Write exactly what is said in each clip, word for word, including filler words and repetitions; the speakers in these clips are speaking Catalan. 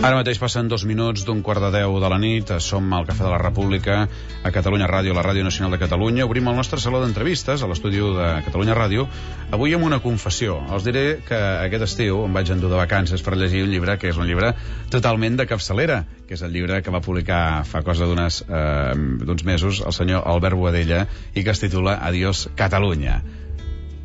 Ara mateix passen dos minuts d'un quart de deu de la nit. Som al Cafè de la República, a Catalunya Ràdio, la Ràdio Nacional de Catalunya. Obrim el nostre saló d'entrevistes a l'estudi de Catalunya Ràdio. Avui amb una confessió. Els diré que aquest estiu em vaig endur de vacances per llegir un llibre que és un llibre totalment de capçalera, que és el llibre que va publicar fa cosa d'unes eh, d'uns mesos el senyor Albert Boadella i que es titula Adiós Catalunya.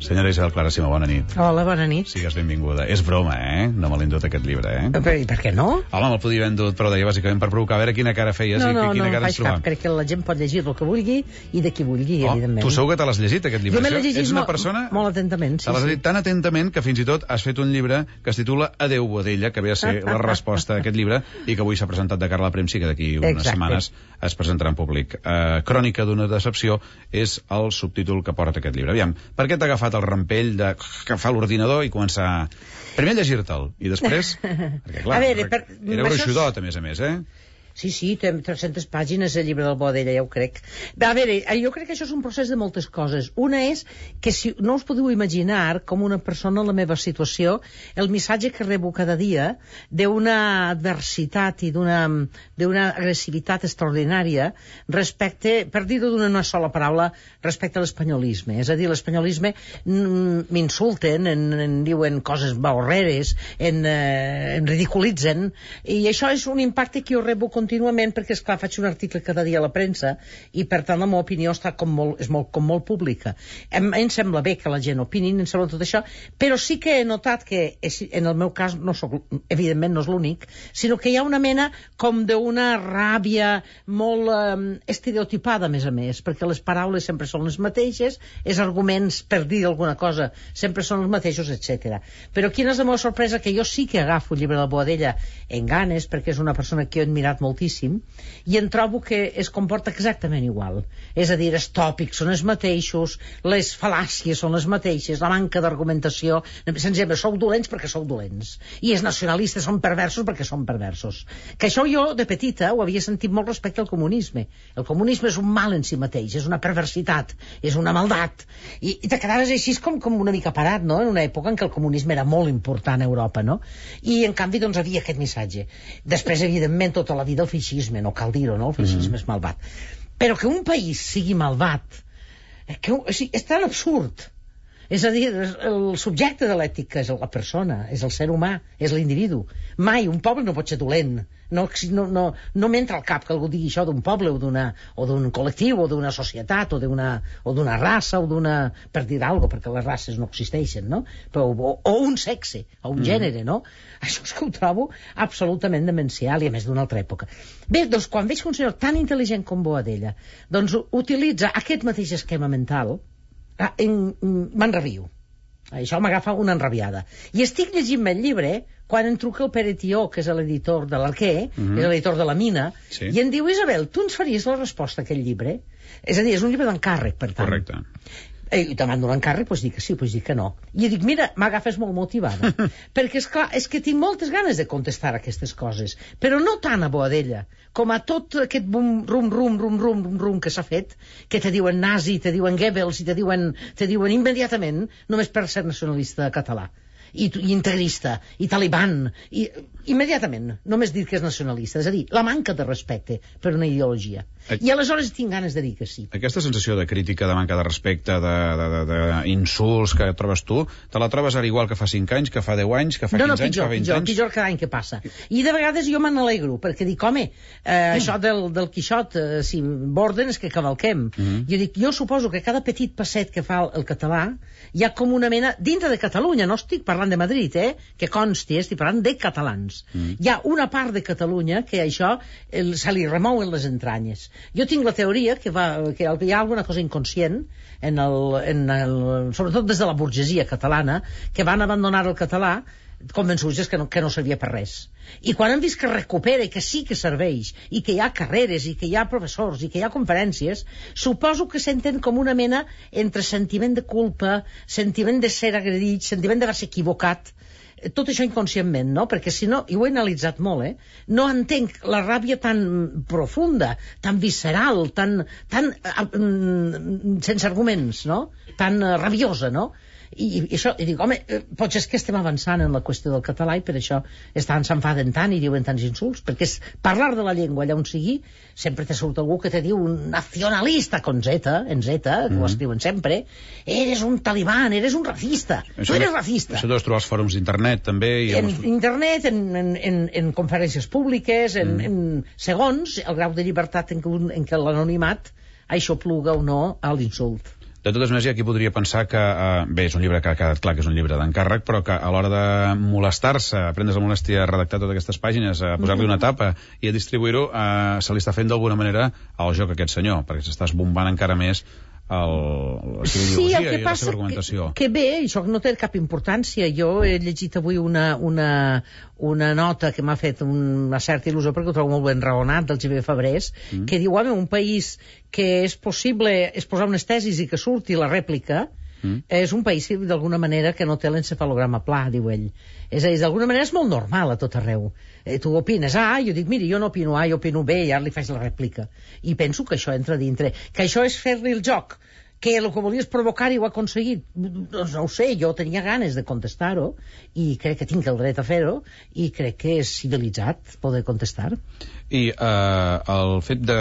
Senyora Isabel Clara Simó, bona nit. Hola, bona nit. Sigues benvinguda. És broma, eh? No me l'he endut aquest llibre, eh? Però, i per què no? Home, me'l podia haver endut, però deia bàsicament per provocar, a veure quina cara feies no, i no, quina no, cara ens trobàvem. Crec que la gent pot llegir el que vulgui i de qui vulgui, oh, evidentment. Tu segur que te l'has llegit, aquest llibre? Jo me l'he llegit Ets una molt, persona... molt atentament, sí. Te l'has llegit sí. tan atentament que fins i tot has fet un llibre que es titula Adéu Boadella, que ve a ser la resposta a aquest llibre i que avui s'ha presentat de cara a la premsa i que d'aquí unes Exacte. setmanes es presentarà en públic. Uh, Crònica d'una decepció és el subtítol que porta aquest llibre. Aviam, per què t'ha agafat el rampell de agafar l'ordinador i començar primer a llegir-te'l i després... Perquè, clar, a veure, per... era gruixudot, a més a més, eh? Sí, sí, té tres-centes pàgines el llibre del Boadella, ja ho crec. A veure, jo crec que això és un procés de moltes coses. Una és que si no us podeu imaginar com una persona en la meva situació, el missatge que rebo cada dia d'una adversitat i d'una d'una agressivitat extraordinària respecte, per dir-ho d'una sola paraula, respecte a l'espanyolisme. És a dir, l'espanyolisme m'insulten, en, en diuen coses baorreres, en, eh, en ridiculitzen, i això és un impacte que jo rebo contínuament perquè, esclar, faig un article cada dia a la premsa i, per tant, la meva opinió està com molt, és molt, com molt pública. Em, em sembla bé que la gent opini, em sembla tot això, però sí que he notat que, en el meu cas, no soc, evidentment no és l'únic, sinó que hi ha una mena com d'una ràbia molt eh, estereotipada, a més a més, perquè les paraules sempre són les mateixes, els arguments per dir alguna cosa sempre són els mateixos, etcètera. Però quina és la meva sorpresa? Que jo sí que agafo el llibre de Boadella en ganes, perquè és una persona que he admirat molt moltíssim, i en trobo que es comporta exactament igual. És a dir, els tòpics són els mateixos, les fal·làcies són les mateixes, la manca d'argumentació, senzillament, sou dolents perquè sou dolents, i els nacionalistes són perversos perquè són perversos. Que això jo, de petita, ho havia sentit molt respecte al comunisme. El comunisme és un mal en si mateix, és una perversitat, és una maldat, i, i te quedaves així com, com una mica parat, no?, en una època en què el comunisme era molt important a Europa, no?, i en canvi, doncs, havia aquest missatge. Després, evidentment, tota la vida el feixisme, no cal dir-ho, no? El feixisme mm-hmm. és malvat. Però que un país sigui malvat, que, o sigui, és tan absurd. És a dir, el subjecte de l'ètica és la persona, és el ser humà, és l'individu. Mai un poble no pot ser dolent. No, no, no, no m'entra al cap que algú digui això d'un poble o d'una o d'un col·lectiu o d'una societat o d'una o d'una raça o d'una... per dir alguna cosa, perquè les races no existeixen, no? Però, o, o un sexe, o un mm. gènere, no? Això és que ho trobo absolutament demencial i a més d'una altra època. Bé, doncs quan veig un senyor tan intel·ligent com Boadella, doncs utilitza aquest mateix esquema mental, m'enrabio. Això m'agafa una enrabiada. I estic llegint el llibre quan em truca el Pere Tió, que és l'editor de l'Arquer, mm-hmm. és l'editor de la Mina, sí. I em diu, Isabel, tu ens faries la resposta a aquest llibre? És a dir, és un llibre d'encàrrec, per tant. Correcte. I te mando l'encàrrec, doncs dic que sí, doncs dic que no. I dic, mira, m'agafes molt motivada. Perquè, esclar, és que tinc moltes ganes de contestar aquestes coses, però no tant a Boadella, com a tot aquest bum, rum, rum, rum, rum, rum, rum que s'ha fet, que te diuen nazi, te diuen Goebbels, i te diuen, te diuen immediatament, només per ser nacionalista català. I, i integrista, i taliban, i immediatament, només dir que és nacionalista, és a dir, la manca de respecte per una ideologia. I aleshores tinc ganes de dir que sí. Aquesta sensació de crítica, de manca de respecte, d'insults que trobes tu, te la trobes ara igual que fa cinc anys, que fa deu anys, que fa no, no, quinze pitjor, anys, que fa vint pitjor, anys? Pitjor cada any que passa. I de vegades jo me n'alegro, perquè dic, home, eh, mm. això del, del Quixot, eh, si borden és que cavalquem. Mm. Jo dic, jo suposo que cada petit passet que fa el, el català hi ha com una mena, dintre de Catalunya, no estic parlant de Madrid, eh, que consti, estic parlant de catalans. Mm. Hi ha una part de Catalunya que això el, se li remouen les entranyes. Jo tinc la teoria que, va, que hi ha alguna cosa inconscient, en el, en el, sobretot des de la burgesia catalana, que van abandonar el català convençuts que no, que no servia per res. I quan han vist que recupera i que sí que serveix, i que hi ha carreres, i que hi ha professors, i que hi ha conferències, suposo que senten com una mena entre sentiment de culpa, sentiment de ser agredit, sentiment d'haver-se equivocat, tot això inconscientment, no? Perquè si no, i ho he analitzat molt, eh? No entenc la ràbia tan profunda, tan visceral, tan, tan uh, sense arguments, no? Tan uh, rabiosa, no? I, i això, i dic, home, potser és que estem avançant en la qüestió del català i per això estan s'enfaden tant i diuen tants insults, perquè és parlar de la llengua allà on sigui, sempre te surt algú que te diu un nacionalista con Z, en Z, que mm. ho escriuen sempre, eres un talibán, eres un racista, això tu eres de, racista. Això deus trobar als fòrums d'internet també. I en els... internet, en, en, en, en conferències públiques, en, mm. en segons el grau de llibertat en què, en què l'anonimat això pluga o no a l'insult. De totes maneres, aquí podria pensar que, eh, bé, és un llibre que ha quedat clar que és un llibre d'encàrrec, però que a l'hora de molestar-se, a prendre's la molèstia a redactar totes aquestes pàgines, a posar-li una tapa i a distribuir-ho, eh, se li està fent d'alguna manera al joc a aquest senyor, perquè s'està esbombant encara més el, la seva sí, ideologia el que i passa la seva argumentació. Que, que bé, això no té cap importància. Jo he llegit avui una, una, una nota que m'ha fet una certa il·lusió, perquè ho trobo molt ben raonat, del Xavier Fabrés, mm. que diu, home, un país que és possible exposar unes tesis i que surti la rèplica, mm. és un país d'alguna manera que no té l'encefalograma pla, diu ell. És a dir, d'alguna manera és molt normal a tot arreu. Eh, tu opines A, jo dic, miri, jo no opino A, jo opino B, i ara li faig la rèplica. I penso que això entra dintre. Que això és fer-li el joc. Que el que volies provocar i ho ha aconseguit. Doncs no ho sé, jo tenia ganes de contestar-ho i crec que tinc el dret a fer-ho i crec que és civilitzat poder contestar. I eh, el fet de,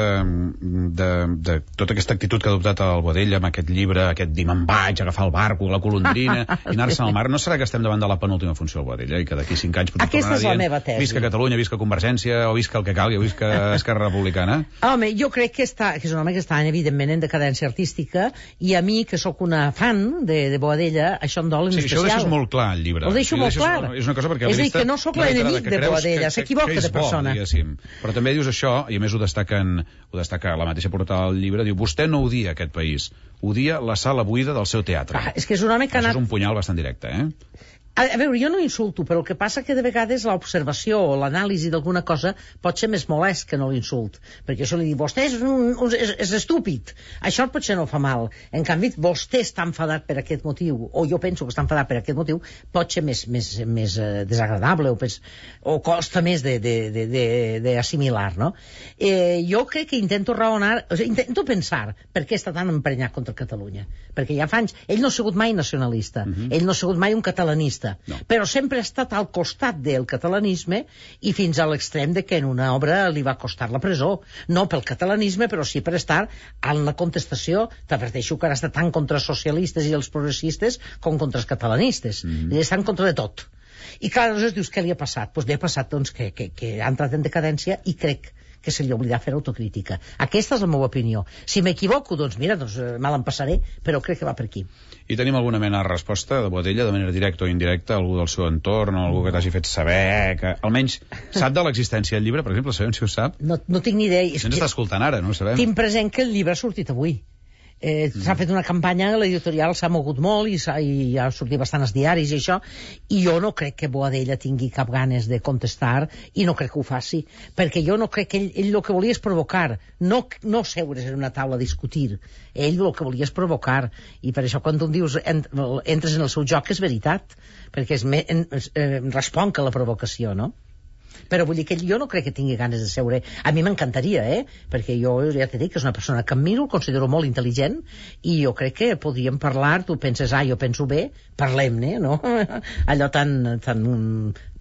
de, de tota aquesta actitud que ha adoptat el Boadella amb aquest llibre, aquest dir me'n vaig, agafar el barco, la colondrina i anar-se'n al mar, no serà que estem davant de la penúltima funció del Boadella i que d'aquí cinc anys potser aquesta és la meva tesi. Visca Catalunya, visca Convergència, o visca el que calgui, o visca Esquerra Republicana? Home, jo crec que, està, que és un home que està evidentment en decadència artística i a mi, que sóc una fan de, de Boadella, això em dol en sí, especial. Això ho deixes molt clar al llibre. Ho deixo molt clar. És una cosa perquè és a dir, que no sóc l'enemic de Boadella, s'equivoca de persona. Però també dius això, i a més ho destaquen, ho destaca la mateixa portada del llibre, diu, vostè no odia aquest país, odia la sala buida del seu teatre. Ah, és que és un home que ha anat... Això és un punyal bastant directe, eh? A, a veure, jo no insulto, però el que passa que de vegades l'observació o l'anàlisi d'alguna cosa pot ser més molest que no l'insult. Perquè això li diu, vostè és, un, un, és, és estúpid. Això potser no fa mal. En canvi, vostè està enfadat per aquest motiu, o jo penso que està enfadat per aquest motiu, pot ser més, més, més eh, desagradable o, més, o costa més d'assimilar, no? Eh, jo crec que intento raonar, o sigui, intento pensar per què està tan emprenyat contra Catalunya. Perquè ja fa anys, ell no ha sigut mai nacionalista, uh-huh. ell no ha sigut mai un catalanista, no. Però sempre ha estat al costat del catalanisme i fins a l'extrem de que en una obra li va costar la presó, no pel catalanisme però sí per estar en la contestació. T'adverteixo que ara està tant contra els socialistes i els progressistes com contra els catalanistes, mm. i està en contra de tot. I clar, aleshores dius, què li ha passat? Doncs li ha passat doncs, que, que, que ha entrat en decadència i crec que se li oblidarà fer autocrítica. Aquesta és la meva opinió. Si m'equivoco, doncs mira, doncs, mal em passaré, però crec que va per aquí. I tenim alguna mena de resposta de Boadella, de manera directa o indirecta, algú del seu entorn, o algú que t'hagi fet saber, que almenys sap de l'existència del llibre, per exemple, sabem si ho sap? No, no tinc ni idea. Si ens està escoltant ara, no ho sabem. Tinc present que el llibre ha sortit avui. Eh, mm. S'ha fet una campanya, l'editorial s'ha mogut molt i, i ha sortit bastant als diaris i això, i jo no crec que Boadella tingui cap ganes de contestar i no crec que ho faci, perquè jo no crec que ell, ell el que volia és provocar, no, no seure's en una taula a discutir, ell el que volia és provocar, i per això quan tu dius ent, entres en el seu joc és veritat, perquè és me, en, eh, respon que la provocació, no? Però vull dir que jo no crec que tingui ganes de seure. A mi m'encantaria, eh? Perquè jo ja t'he dit que és una persona que admiro, el considero molt intel·ligent, i jo crec que podríem parlar, tu penses A, jo penso B, parlem-ne, no? Allò tan, tan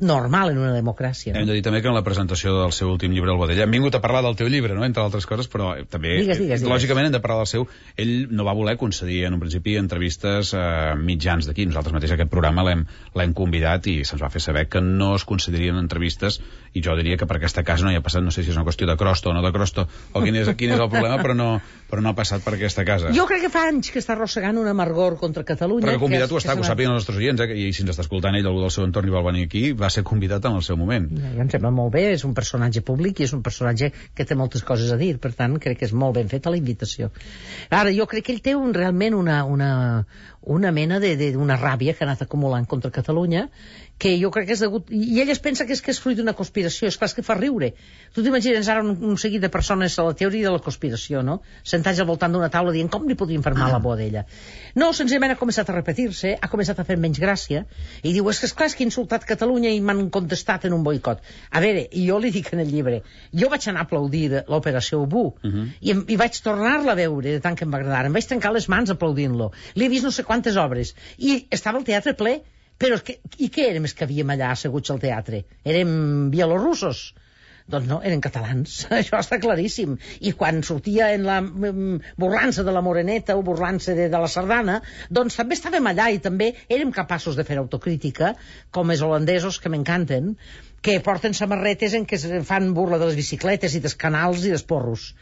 normal en una democràcia. No? Hem de dir també que en la presentació del seu últim llibre, el Boadella, hem vingut a parlar del teu llibre, no? Entre altres coses, però també, digues, digues, digues. lògicament, hem de parlar del seu. Ell no va voler concedir en un principi entrevistes a mitjans d'aquí. Nosaltres mateix aquest programa l'hem convidat i se'ns va fer saber que no es concedirien entrevistes, i jo diria que per aquesta casa no hi ha passat, no sé si és una qüestió de crosta o no de crosta, o quin és, quin és el problema, però no, però no ha passat per aquesta casa. Jo crec que fa anys que està arrossegant un amargor contra Catalunya. Però que convidat ho està, que ho sàpiguen els nostres oients, eh? I si ens està escoltant ell, algú del seu entorn i vol venir aquí, va ser convidat en el seu moment. Ja, em sembla molt bé, és un personatge públic i és un personatge que té moltes coses a dir, per tant crec que és molt ben feta la invitació. Ara, jo crec que ell té un, realment una, una, una mena d'una ràbia que ha anat acumulant contra Catalunya, que jo crec que és degut... I ell es pensa que és, que és fruit d'una conspiració. És clar, és que fa riure. Tu t'imagines ara un, un seguit de persones a la teoria de la conspiració, no? Sentats al voltant d'una taula dient com li podrien fer mal a la Boadella. No, senzillament ha començat a repetir-se, ha començat a fer menys gràcia, i diu, és que esclar, és que he insultat Catalunya i m'han contestat en un boicot. A veure, i jo li dic en el llibre, jo vaig anar a aplaudir l'operació Ubú, uh -huh. i, i vaig tornar-la a veure de tant que em va agradar. Em vaig trencar les mans aplaudint-lo. L'he vist no sé quantes obres. I estava el teatre ple. Però que, i què érem els que havíem allà asseguts al teatre? Érem bielorussos? Doncs no, eren catalans, això està claríssim. I quan sortia en la burlança de la Moreneta o burlança de, de la Sardana, doncs també estàvem allà i també érem capaços de fer autocrítica, com els holandesos, que m'encanten, que porten samarretes en què fan burla de les bicicletes i dels canals i dels porros.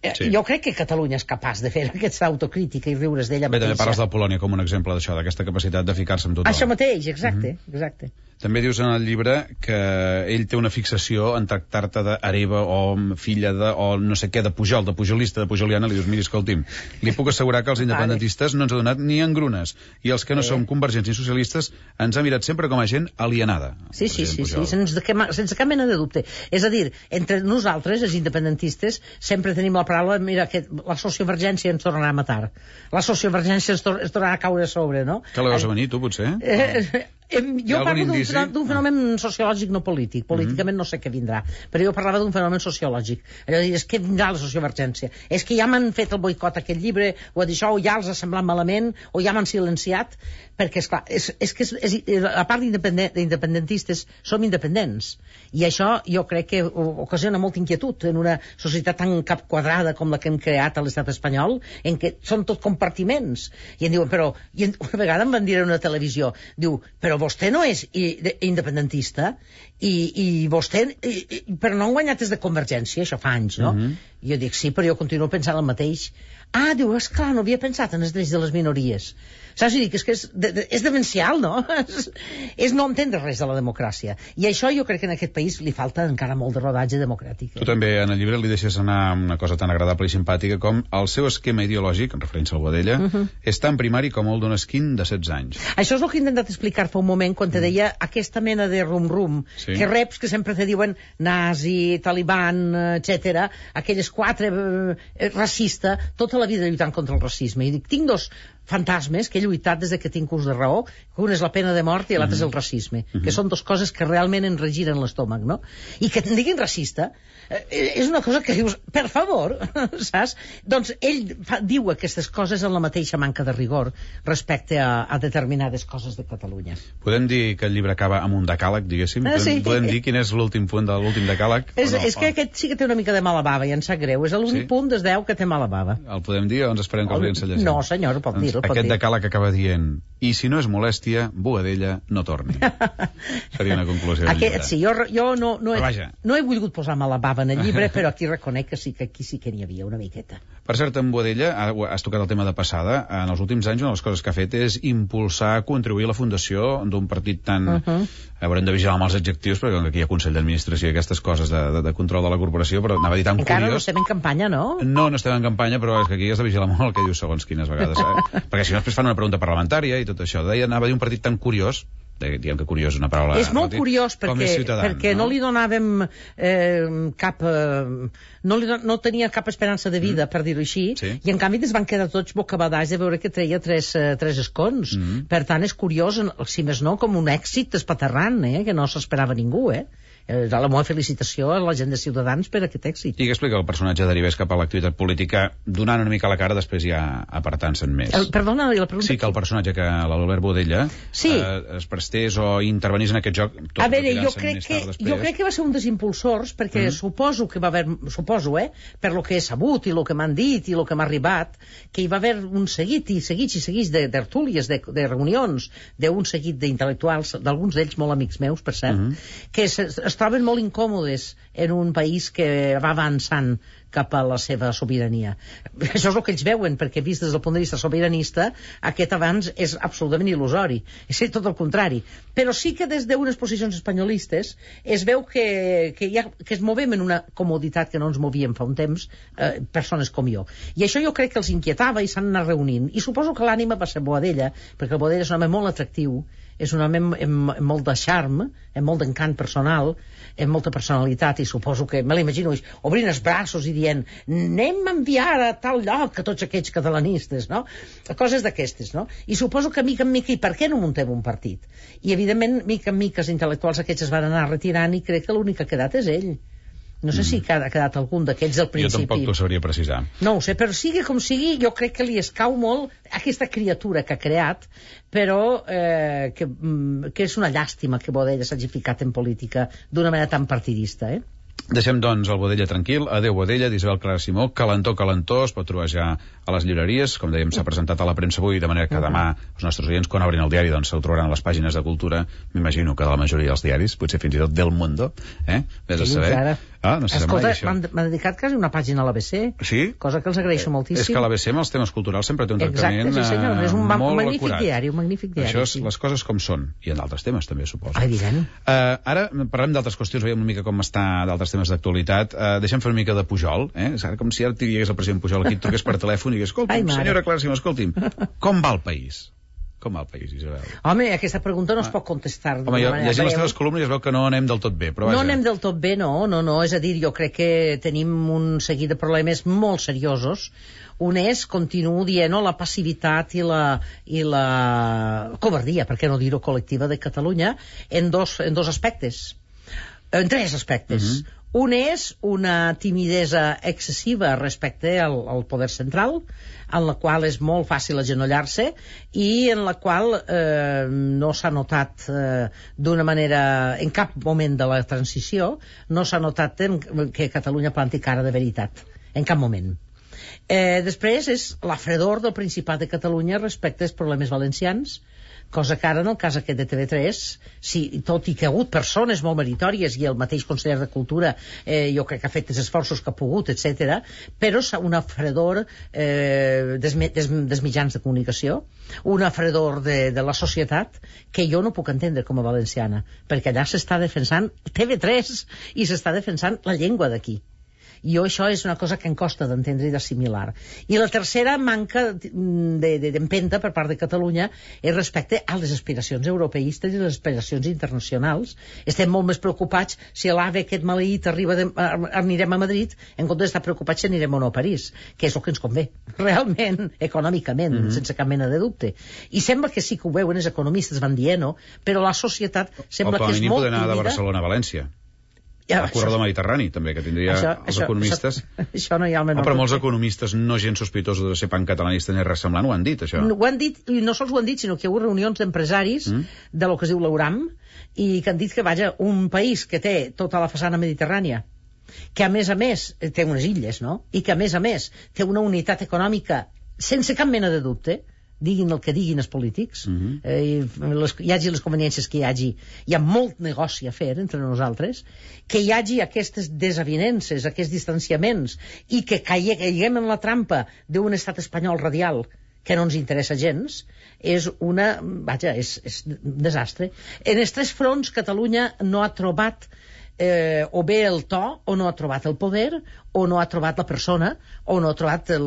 Sí. Jo crec que Catalunya és capaç de fer aquesta autocrítica i riure's d'ella mateixa. Bé, també parles de Polònia com un exemple d'això, d'aquesta capacitat de ficar-se amb tothom. Això mateix, exacte, mm-hmm. exacte. També dius en el llibre que ell té una fixació en tractar-te d'hereva o filla de, o no sé què, de Pujol, de pujolista, de pujoliana. Li dius, miri, escolti'm, li puc assegurar que els independentistes no ens ha donat ni engrunes, i els que no eh. som convergents ni socialistes ens ha mirat sempre com a gent alienada. Sí, sí, sí, sí, sense, sense cap mena de dubte. És a dir, entre nosaltres, els independentistes, sempre tenim la paraula, mira, que la sociovergència ens tornarà a matar. La sociovergència ens, tor ens tornarà a caure a sobre, no? Que la veus a venir, tu, potser? Eh, eh, jo parlo d'un fenomen sociològic, no polític. Políticament mm-hmm. no sé què vindrà, però jo parlava d'un fenomen sociològic. Allò de dir, és que vindrà la sociovergència. És que ja m'han fet el boicot a aquest llibre, o a dir això, o ja els ha semblat malament, o ja m'han silenciat, perquè, esclar, és, és que és, és, a part d'independentistes, som independents. I això jo crec que ocasiona molta inquietud en una societat tan capquadrada com la que hem creat a l'estat espanyol, en què són tot compartiments. I em diuen, però, i una vegada em van dir en una televisió, diu, però vostè no és independentista i, i vostè, i, i, però no han guanyat des de Convergència, això fa anys, no? Mm-hmm. I jo dic, sí, però jo continuo pensant el mateix. Ah, diu, esclar, no havia pensat en els drets de les minories. Saps? I dic, és que és, de, de, és demencial, no? És, és no entendre res de la democràcia. I això jo crec que en aquest país li falta encara molt de rodatge democràtic. Eh? Tu també en el llibre li deixes anar una cosa tan agradable i simpàtica com el seu esquema ideològic, en referència al Boadella, uh-huh. és tan primari com el d'un esquin de setze anys. Això és el que he intentat explicar fa un moment quan te deia aquesta mena de rum-rum sí. que reps que sempre te diuen nazi, taliban, etcètera, aquelles quatre, eh, racista, tota la vida lluitant contra el racisme. I dic, tinc dos fantasmes que he lluitat des que tinc ús de raó, que un és la pena de mort i l'altre mm-hmm. és el racisme, mm-hmm. que són dues coses que realment ens regiren l'estómac, no? I que te'n diguin racista eh, és una cosa que dius, per favor, saps? Doncs ell fa, diu aquestes coses en la mateixa manca de rigor respecte a, a determinades coses de Catalunya. Podem dir que el llibre acaba amb un decàleg, diguéssim? Ah, sí. Podem, podem dir quin és l'últim punt de l'últim decàleg? És, no? és que aquest sí que té una mica de mala bava i em sap greu, és l'únic sí? punt des deu que té mala bava. El podem dir o ens esperem que el veiem llegir? No, senyor, pot dir. Aquest decàleg acaba dient, i si no és molèstia, Boadella no torni. Seria una conclusió del Aquest, llibre. sí, jo, jo no, no, he, vaja. no he volgut posar mala bava en el llibre, però aquí reconec que sí que aquí sí que n'hi havia una miqueta. Per cert, en Boadella, has tocat el tema de passada, en els últims anys una de les coses que ha fet és impulsar, contribuir a la fundació d'un partit tan... Uh -huh. Haurem de vigilar amb els adjectius, perquè aquí hi ha Consell d'Administració i aquestes coses de, de, de control de la corporació, però anava a dir tan Encara curiós... no estem en campanya, no? No, no estem en campanya, però és que aquí has de vigilar molt el que dius segons quines vegades, eh? Perquè si no després fan una pregunta parlamentària i tot això. Deia, anava a dir un partit tan curiós, diguem que curiós és una paraula... És molt curiós perquè, perquè no? no li donàvem eh, cap... Eh, no, li, no tenia cap esperança de vida, mm. per dir-ho així, sí. i en canvi es van quedar tots bocabadats de veure que treia tres, eh, tres escons. Mm. Per tant, és curiós, si més no, com un èxit espaterrant, eh, que no s'esperava ningú, eh? La meva felicitació a la gent de Ciutadans per aquest èxit. I què explica el personatge derivés cap a l'activitat política, donant una mica la cara, després ja apartant-se'n més? El, perdona, la pregunta... Sí, que el personatge, que l'Albert Boadella, sí. eh, es prestés o intervenís en aquest joc... Tot a veure, jo crec, que, jo crec que va ser un dels impulsors, perquè mm. suposo que va haver... Suposo, eh? Per lo que he sabut i lo que m'han dit i lo que m'ha arribat, que hi va haver un seguit i seguits i seguits de tertúlies, de, de reunions, d'un seguit d'intel·lectuals, d'alguns d'ells molt amics meus, per cert, mm. que es, es troben molt incòmodes en un país que va avançant cap a la seva sobirania. Això és el que ells veuen, perquè vist des del punt de vista sobiranista, aquest avanç és absolutament il·lusori. És tot el contrari. Però sí que des d'unes posicions espanyolistes es veu que, que, ha, que es movem en una comoditat que no ens movíem fa un temps, eh, persones com jo. I això jo crec que els inquietava i s'han anat reunint. I suposo que l'ànima va ser Boadella, perquè el Boadella és un home molt atractiu, és un home amb, amb, amb molt de charme, amb molt d'encant personal, amb molta personalitat, i suposo que, me l'imagino, obrint els braços i dient, anem a enviar a tal lloc a tots aquests catalanistes, no? Coses d'aquestes, no? I suposo que mica en mica, i per què no muntem un partit? I evidentment, mica en mica, els intel·lectuals aquests es van anar retirant i crec que l'únic que ha quedat és ell. No sé mm. si ha quedat algun d'aquells del principi. Jo tampoc t'ho sabria precisar. No ho sé, però sigui com sigui, jo crec que li escau molt aquesta criatura que ha creat, però eh, que, que és una llàstima que Boadella s'hagi ficat en política d'una manera tan partidista, eh? Deixem, doncs, el Boadella tranquil. Adéu, Boadella, d'Isabel Clara Simó. Calentó, calentó, es pot trobar ja a les llibreries. Com dèiem, s'ha presentat a la premsa avui, de manera que demà els nostres oients, quan obrin el diari, doncs se'l trobaran a les pàgines de cultura. M'imagino que de la majoria dels diaris, potser fins i tot del Mundo, eh? Vés a saber. Ara. Ah, no sé Escolta, m'han dedicat quasi una pàgina a l'A B C, sí? Cosa que els agraeixo moltíssim. És que l'A B C amb els temes culturals sempre té un tractament Exacte, sí, senyor. És un molt magnífic acurat. diari, un magnífic diari. Això és sí. Les coses com són, i en d'altres temes també, suposo. Evident. Uh, ara parlem d'altres qüestions, veiem una mica com està d'altres temes d'actualitat. Uh, deixem fer una mica de Pujol, eh? És ara com si ara t'hi digués el president Pujol aquí, et truqués per telèfon i digués, escolti'm, senyora Clara Simó, escolti'm, com va el país? Com va el país, Isabel? Home, aquesta pregunta no es pot contestar. Home, jo, llegint les teves columnes es veu que no anem del tot bé, però vaja. No anem del tot bé, no, no, no. És a dir, jo crec que tenim un seguit de problemes molt seriosos. Un és, continuo dient, la passivitat i la, i la covardia, per què no dir-ho, col·lectiva de Catalunya, en dos, en dos aspectes. En tres aspectes. Uh -huh. Un és una timidesa excessiva respecte al, al poder central, en la qual és molt fàcil agenollar-se i en la qual eh, no s'ha notat eh, d'una manera, en cap moment de la transició, no s'ha notat en, que Catalunya planti cara de veritat. En cap moment. Eh, després és la fredor del Principat de Catalunya respecte als problemes valencians, cosa que ara en el cas aquest de T V tres, sí, tot i que ha hagut persones molt meritòries i el mateix conseller de Cultura eh, jo crec que ha fet els esforços que ha pogut, etcètera, però una fredor eh, des, des, des mitjans de comunicació, una fredor de, de la societat que jo no puc entendre com a valenciana, perquè allà s'està defensant T V tres i s'està defensant la llengua d'aquí. I jo això és una cosa que em costa d'entendre i d'assimilar. I la tercera manca d'empenta per part de Catalunya és respecte a les aspiracions europeistes i les aspiracions internacionals. Estem molt més preocupats si l'AVE aquest maleït arriba de, anirem a Madrid, en comptes d'estar preocupats si anirem o no a París, que és el que ens convé, realment, econòmicament, mm -hmm. sense cap mena de dubte. I sembla que sí que ho veuen, els economistes van dient-ho, però la societat sembla que és molt poder anar de Barcelona a València. Ja, el corredor mediterrani, també, que tindria això, els això, economistes. Això, això no hi ha el menor. Oh, però molts economistes, no gens sospitosos de ser pancatalanistes ni res semblant, ho han dit, això. Ho han dit, i no sols ho han dit, sinó que hi ha hagut reunions d'empresaris mm. de lo que es diu l'Euram, i que han dit que, vaja, un país que té tota la façana mediterrània, que a més a més té unes illes, no?, i que a més a més té una unitat econòmica sense cap mena de dubte, diguin el que diguin els polítics, uh-huh. eh, les, hi hagi les conveniències que hi hagi, hi ha molt negoci a fer entre nosaltres, que hi hagi aquestes desavinences, aquests distanciaments, i que caiguem en la trampa d'un estat espanyol radial que no ens interessa gens, és una... vaja, és, és un desastre. En els tres fronts Catalunya no ha trobat eh, o bé el to, o no ha trobat el poder, o no ha trobat la persona, o no ha trobat el,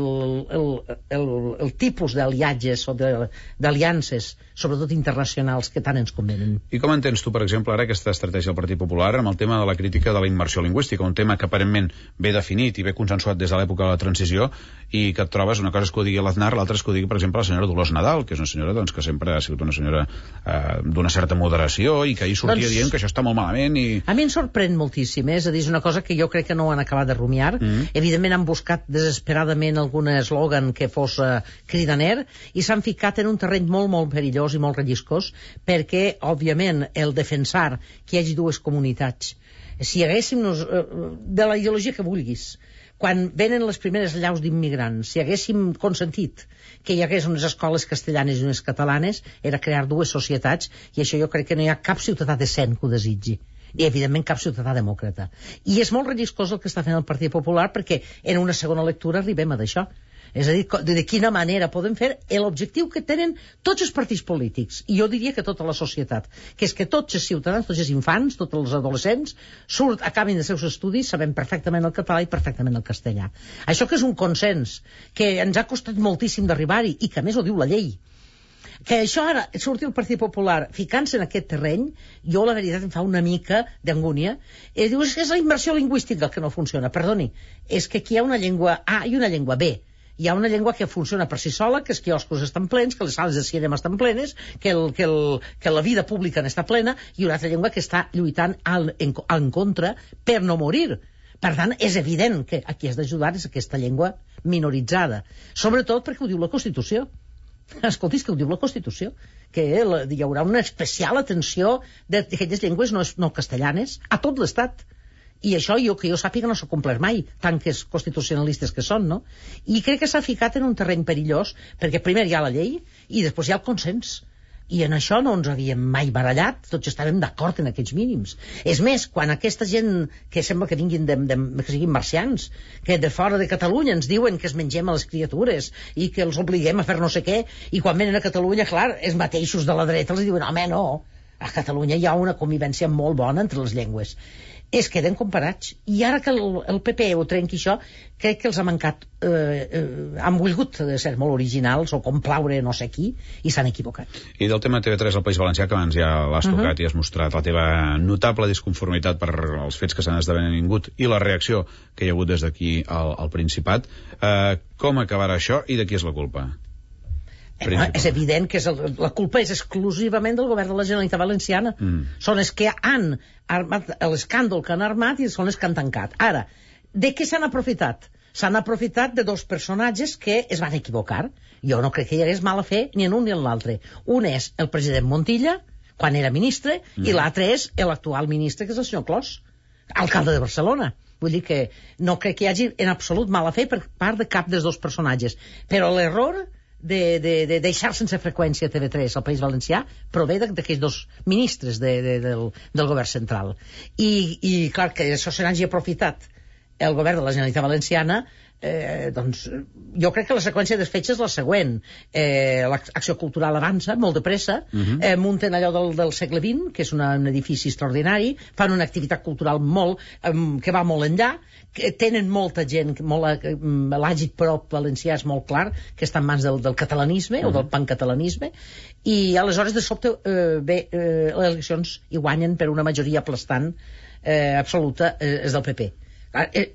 el, el, el tipus d'aliatges o d'aliances, sobretot internacionals, que tant ens convenen. I com entens tu, per exemple, ara aquesta estratègia del Partit Popular amb el tema de la crítica de la immersió lingüística, un tema que aparentment ve definit i ve consensuat des de l'època de la transició, i que et trobes, una cosa és que ho digui l'Aznar, l'altra és que ho digui, per exemple, la senyora Dolors Nadal, que és una senyora doncs, que sempre ha sigut una senyora eh, d'una certa moderació i que ahir sortia doncs, dient que això està molt malament. I... A mi em sorprèn moltíssim, eh? És a dir, és una cosa que jo crec que no han acabat de rumiar. Mm. Evidentment han buscat desesperadament algun eslògan que fos uh, cridaner i s'han ficat en un terreny molt, molt perillós i molt relliscós, perquè, òbviament, el defensar que hi hagi dues comunitats, si haguéssim nos, uh, de la ideologia que vulguis, quan venen les primeres llaus d'immigrants, si haguéssim consentit que hi hagués unes escoles castellanes i unes catalanes, era crear dues societats, i això jo crec que no hi ha cap ciutadà decent que ho desitgi, i evidentment cap ciutadà demòcrata. I és molt relliscós el que està fent el Partit Popular, perquè en una segona lectura arribem a d'això. És a dir, de quina manera podem fer l'objectiu que tenen tots els partits polítics, i jo diria que tota la societat, que és que tots els ciutadans, tots els infants, tots els adolescents, surt, acabin els seus estudis, sabem perfectament el català i perfectament el castellà. Això que és un consens, que ens ha costat moltíssim d'arribar-hi, i que a més ho diu la llei. Que això ara surti el Partit Popular ficant-se en aquest terreny, jo la veritat em fa una mica d'angúnia. I dius que és la immersió lingüística el que no funciona. Perdoni, és que aquí hi ha una llengua A i una llengua B. Hi ha una llengua que funciona per si sola, que els quioscos estan plens, que les sales de cinema estan plenes, que, el, que, el, que la vida pública n'està plena, i una altra llengua que està lluitant al, en, en contra per no morir. Per tant, és evident que a qui has d'ajudar és aquesta llengua minoritzada. Sobretot perquè ho diu la Constitució. Escolti, és que ho diu la Constitució, que hi haurà una especial atenció d'aquelles llengües no, no castellanes a tot l'Estat. I això, jo, que jo sàpiga, no s'ha complert mai, tant que és constitucionalistes que són, no? I crec que s'ha ficat en un terreny perillós, perquè primer hi ha la llei i després hi ha el consens. I en això no ens havíem mai barallat, tots estàvem d'acord en aquests mínims. És més, quan aquesta gent que sembla que vinguin de, de, que siguin marcians, que de fora de Catalunya ens diuen que es mengem a les criatures i que els obliguem a fer no sé què, i quan venen a Catalunya, clar, els mateixos de la dreta els diuen, home, no, a Catalunya hi ha una convivència molt bona entre les llengües. Es queden comparats. I ara que el, el P P ho trenqui això, crec que els ha mancat, eh, eh, han volgut ser molt originals o complaure no sé qui, i s'han equivocat. I del tema T V tres al País Valencià, que abans ja l'has tocat uh -huh. i has mostrat la teva notable disconformitat per els fets que s'han esdevingut i la reacció que hi ha hagut des d'aquí al, al Principat, eh, com acabarà això i de qui és la culpa? Eh, és evident que és el, la culpa és exclusivament del govern de la Generalitat Valenciana. Mm. Són els que han armat l'escàndol que han armat i són els que han tancat. Ara, de què s'han aprofitat? S'han aprofitat de dos personatges que es van equivocar. Jo no crec que hi hagués mala fe ni en un ni en l'altre. Un és el president Montilla, quan era ministre, mm. i l'altre és l'actual ministre, que és el senyor Clos, alcalde de Barcelona. Vull dir que no crec que hi hagi en absolut mala fe per part de cap dels dos personatges. Però l'error de, de, de deixar sense freqüència T V tres al País Valencià prové d'aquells dos ministres de, de, del, del govern central. I, i clar, que això se n'hagi aprofitat el govern de la Generalitat Valenciana, eh, doncs jo crec que la seqüència dels fets és la següent. Eh, l'acció cultural avança molt de pressa, uh -huh. eh, munten allò del, del segle vint, que és una, un edifici extraordinari, fan una activitat cultural molt, eh, que va molt enllà, que tenen molta gent, molt, eh, l'àgid prop valencià és molt clar, que està en mans del, del catalanisme, uh -huh. o del pancatalanisme, i aleshores de sobte eh, bé, eh, les eleccions hi guanyen per una majoria aplastant eh, absoluta, eh, és del P P. Eh,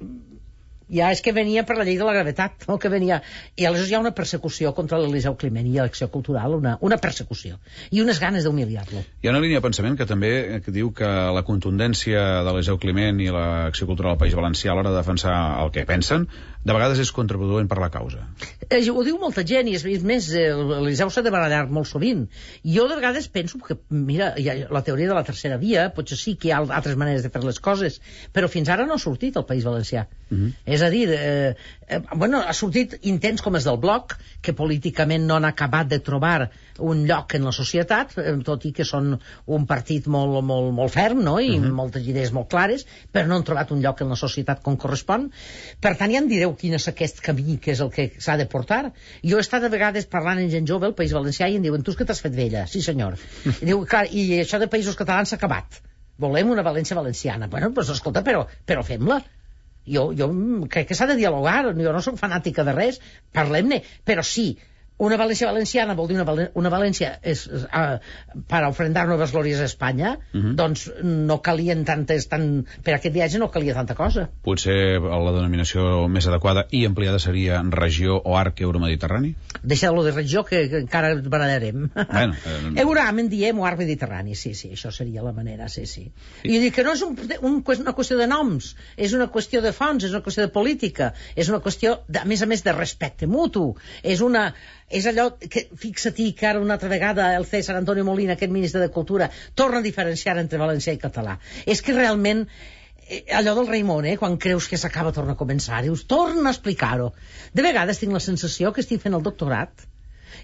ja és que venia per la llei de la gravetat, no? Que venia... I aleshores hi ha una persecució contra l'Eliseu Climent i l'acció cultural, una, una persecució i unes ganes d'humiliar-lo. Hi ha una línia de pensament que també que diu que la contundència de l'Eliseu Climent i l'acció cultural del País Valencià a l'hora de defensar el que pensen de vegades és contraproduent per la causa. Eh, ho diu molta gent i és, és més, l'Eliseu s'ha de barallar molt sovint. Jo de vegades penso que, mira, hi ha la teoria de la tercera via, potser sí que hi ha altres maneres de fer les coses, però fins ara no ha sortit el País Valencià. Uh -huh. És a dir, eh, eh, bueno, ha sortit intents com els del Bloc, que políticament no han acabat de trobar un lloc en la societat, eh, tot i que són un partit molt, molt, molt ferm, no?, i uh -huh. moltes idees molt clares, però no han trobat un lloc en la societat com correspon. Per tant, ja em direu quin és aquest camí que és el que s'ha de portar. Jo he estat a vegades parlant amb gent jove al País Valencià i em diuen, tu és que t'has fet vella. Sí, senyor. I diu, clar, i això de països catalans s'ha acabat. Volem una València valenciana. Bueno, doncs escolta, però, però fem-la. Jo, jo crec que s'ha de dialogar, jo no soc fanàtica de res, parlem-ne, però sí, una València valenciana vol dir una, Val una València és, és, uh, per ofrendar noves glòries a Espanya, uh -huh. doncs no calien tantes, tan, per aquest viatge no calia tanta cosa. Potser la denominació més adequada i ampliada seria regió o arc euromediterrani? Deixeu-lo de regió, que, que encara ens barallarem. Bueno, eh... Euram en diem o arc mediterrani, sí, sí, això seria la manera, sí, sí. I dic que no és un, un, una qüestió de noms, és una qüestió de fons, és una qüestió de política, és una qüestió, de, a més a més, de respecte mutu, és una... És allò que, fixa-t'hi que ara una altra vegada el César Antonio Molina, aquest ministre de Cultura, torna a diferenciar entre valencià i català. És que realment, allò del Raimon, eh, quan creus que s'acaba torna a començar, dius, torna a explicar-ho. De vegades tinc la sensació que estic fent el doctorat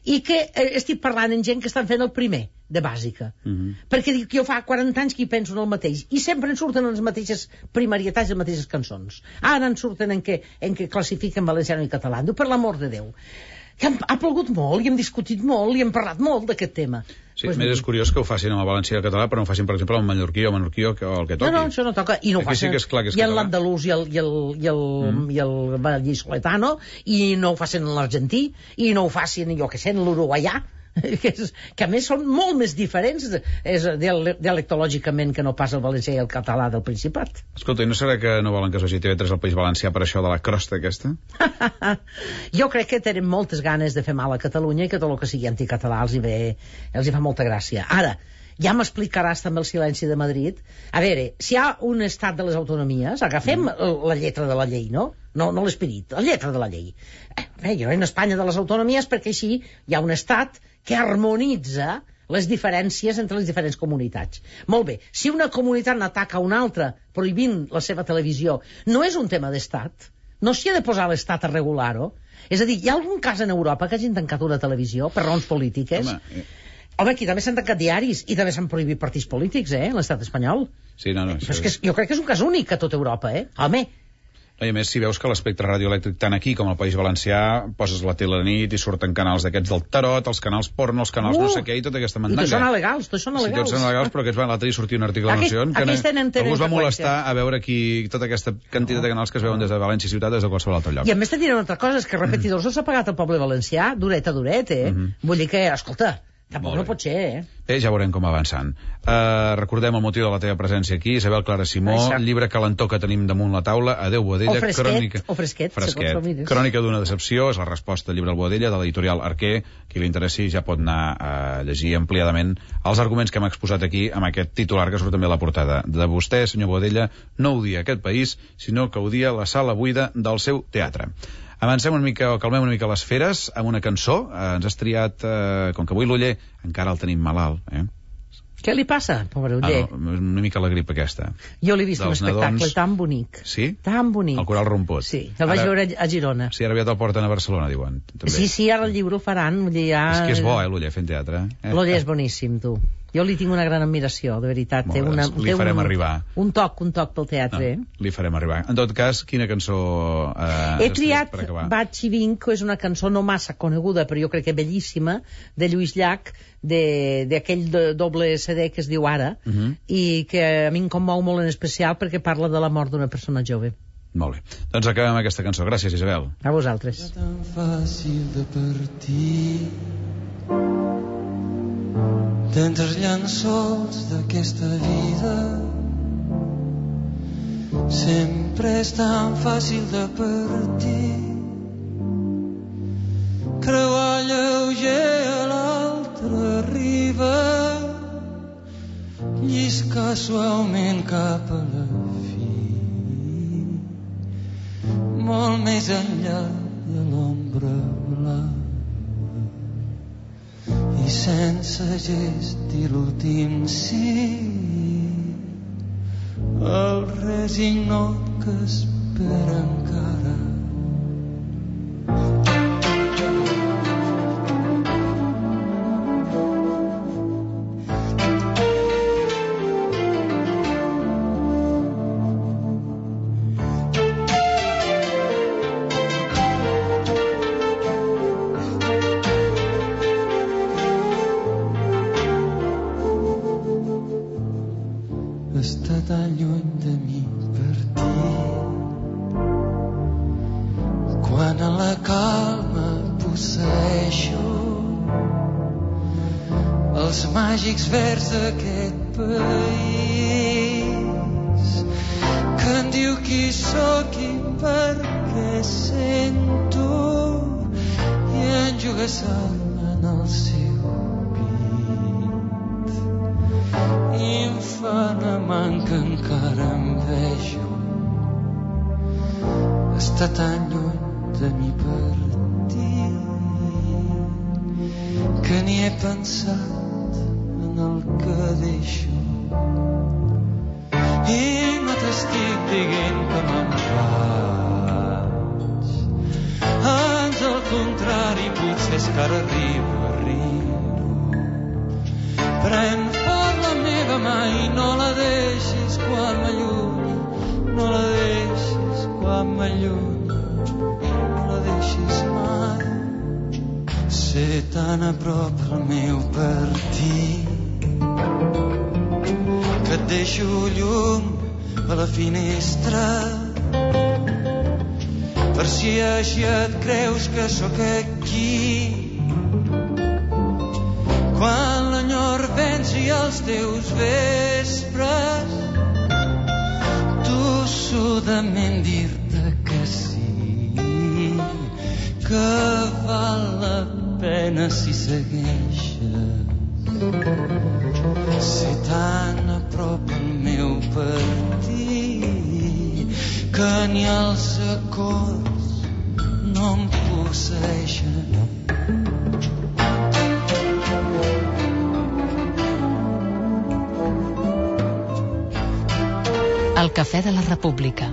i que eh, estic parlant amb gent que estan fent el primer de bàsica. Uh -huh. Perquè dic que jo fa quaranta anys que hi penso en el mateix i sempre en surten les mateixes primarietats i les mateixes cançons. Ara en surten en què, en què classifiquen valenciano i català. Diu, per l'amor de Déu. Que ha plogut molt i hem discutit molt i hem parlat molt d'aquest tema. Sí, pues, més és curiós que ho facin amb el valencià i el català, però no ho facin, per exemple, amb mallorquí o menorquí o el que toqui. No, no, això no toca. I no ho facin. Sí que és clar que és i en l'andalús i el, i el, i el, mm. i el vallisoletano, i no ho facin en l'argentí, i no ho facin, jo que sé, en l'uruguaià, que, és, que a més són molt més diferents és, dialectològicament que no pas el valencià i el català del Principat. Escolta, i no serà que no volen que es vagi T V tres al País Valencià per això de la crosta aquesta? Jo crec que tenen moltes ganes de fer mal a Catalunya i que tot el que sigui anticatalà els hi ve, els hi fa molta gràcia. Ara, Ja m'explicaràs també el silenci de Madrid. A veure, si hi ha un estat de les autonomies, agafem mm. la lletra de la llei, no? No, no l'esperit, la lletra de la llei. Eh, jo en Espanya de les autonomies perquè així hi ha un estat que harmonitza les diferències entre les diferents comunitats. Molt bé, si una comunitat n'ataca una altra prohibint la seva televisió, no és un tema d'estat? No s'hi ha de posar l'estat a regular-ho? És a dir, hi ha algun cas en Europa que hagin tancat una televisió per raons polítiques? Home, eh... Home, aquí també s'han tancat diaris i també s'han prohibit partits polítics, eh, l'estat espanyol. Sí, no, no. Però és que jo crec que és un cas únic a tota Europa, eh? Home... I a més, si veus que l'espectre radioelèctric tant aquí com al País Valencià poses la tele a la nit i surten canals d'aquests del tarot, els canals porno, els canals uh, no sé què i tota aquesta mandanga. I tots són alegals, tots són alegals. Sí, tots són alegals, però aquests van, l'altre dia sortia un article a la Nació que algú es va molestar a veure aquí tota aquesta quantitat de canals que es veuen des de València Ciutat des de qualsevol altre lloc. I a més te diré una altra cosa, és que repetidors els ha pagat el poble valencià duret a duret, eh? Mm -hmm. Vull dir que, escolta, tampoc no pot ser, eh? Bé, ja veurem com avançant. Uh, recordem el motiu de la teva presència aquí, Isabel Clara Simó, Exacte. Llibre calentó que tenim damunt la taula, Adéu Boadella, o fresquet, crònica... o fresquet, fresquet. Crònica d'una decepció, és la resposta al llibre del Boadella, de l'editorial Arquer. Qui li interessi ja pot anar a llegir ampliadament els arguments que hem exposat aquí amb aquest titular que surt també a la portada. De vostè, senyor Boadella, no odia aquest país, sinó que odia la sala buida del seu teatre. Avancem una mica, o calmem una mica les feres amb una cançó. Eh, ens has triat, eh, com que avui l'Oller encara el tenim malalt, eh? Què li passa, pobre Oller? Ah, no, una mica la grip aquesta. Jo l'he vist un espectacle nadons... tan bonic. Sí? Tan bonic. El Coral Romput. Sí, el vaig ara... veure a Girona. Sí, ara aviat el porten a Barcelona, diuen. També. Sí, sí, ara el llibre ho faran. Ja... És que és bo, eh, l'Oller, fent teatre. Eh? L'Oller és boníssim, tu. Jo li tinc una gran admiració, de veritat. Molt bé, una, li farem un, arribar. Un toc, un toc pel teatre. No, li farem arribar. En tot cas, quina cançó eh, he triat per acabar? Vaig i vinc, que és una cançó no massa coneguda, però jo crec que bellíssima, de Lluís Llach, d'aquell doble C D que es diu Ara, uh -huh. i que a mi em commou molt en especial perquè parla de la mort d'una persona jove. Molt bé. Doncs acabem aquesta cançó. Gràcies, Isabel. A vosaltres. És tan fàcil de partir d'entre els llençols d'aquesta vida. Sempre és tan fàcil de partir, creuar lleuger a l'altra riba, lliscar suaument cap a la fi, molt més enllà de l'ombra blava, i sense gest i l'últim sí, el resignat que espera encara. Està tan lluny de mi partir, quan a la calma posseeixo els màgics verds d'aquest país, que em diu qui sóc i per què sento, i enjugassar-me en el seu pit, i em fa una man que encara em vejo. Està tan lluny de mi partir que ni he pensat en el que deixo, i no t'estic dient que me'n vaig, ans al contrari, potser és que ara arribo, arribo. Pren fort la meva mà i no la deixis quan m'allunyi, no la deixis quan m'allunyi, no la deixis mai. Ser tan a prop del meu partir que et deixo llum a la finestra, per si així et creus que sóc aquí, quan l'enyor venci els teus vespres, tossudament dir-te que sí, que val la pena si segueixes Si tan a prop el meu partit que ni els acords no em posseeixen. El Cafè de la República.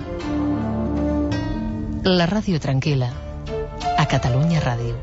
La ràdio tranquil·la a Catalunya Ràdio.